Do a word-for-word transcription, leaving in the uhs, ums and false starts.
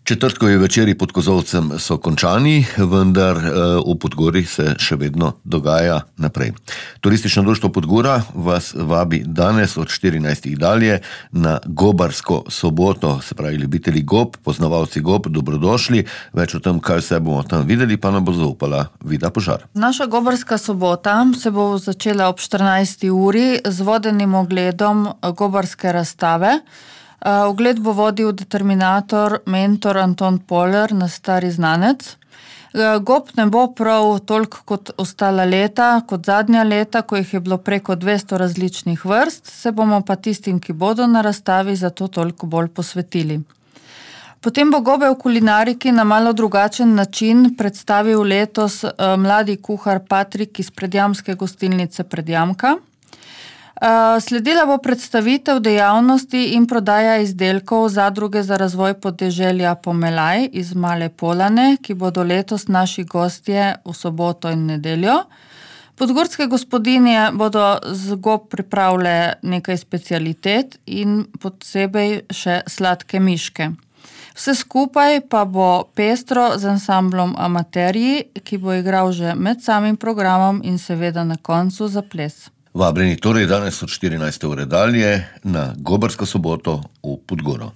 Četrtkovi večeri pod kozolcem so končani, vendar v Podgori se še vedno dogaja naprej. Turistično društvo Podgora vas vabi danes od štirinajstih dalje na Gobarsko soboto, se pravi ljubitelji gob, poznavalci gob, dobrodošli. Več o tem, kaj vse bomo tam videli, pa nam bo zaupala Vida Požar. Naša Gobarska sobota se bo začela ob štirinajsti uri z vodenim ogledom gobarske razstave. Ogled bo vodil determinator, mentor Anton Poler, naš stari znanec. Gob ne bo prav toliko kot ostala leta, kot zadnja leta, ko jih je bilo preko dvesto različnih vrst, se bomo pa tistim, ki bodo na razstavi, zato toliko bolj posvetili. Potem bo gobe v kulinariki na malo drugačen način predstavil letos mladi kuhar Patrik iz Predjamske gostilnice Predjamka. Sledila bo predstavitev dejavnosti in prodaja izdelkov Zadruge za razvoj podeželja Pomelaj iz Male Polane, ki bodo letos naši gostje v soboto in nedeljo. Podgorske gospodinje bodo z gob pripravile nekaj specialitet in posebej še sladke miške. Vse skupaj pa bo pestro z ansamblom Amaterji, ki bo igral že med samim programom in seveda na koncu za ples. Vabljeni torej danes od štirinajste ure dalje na Gobarsko soboto v Podgoro.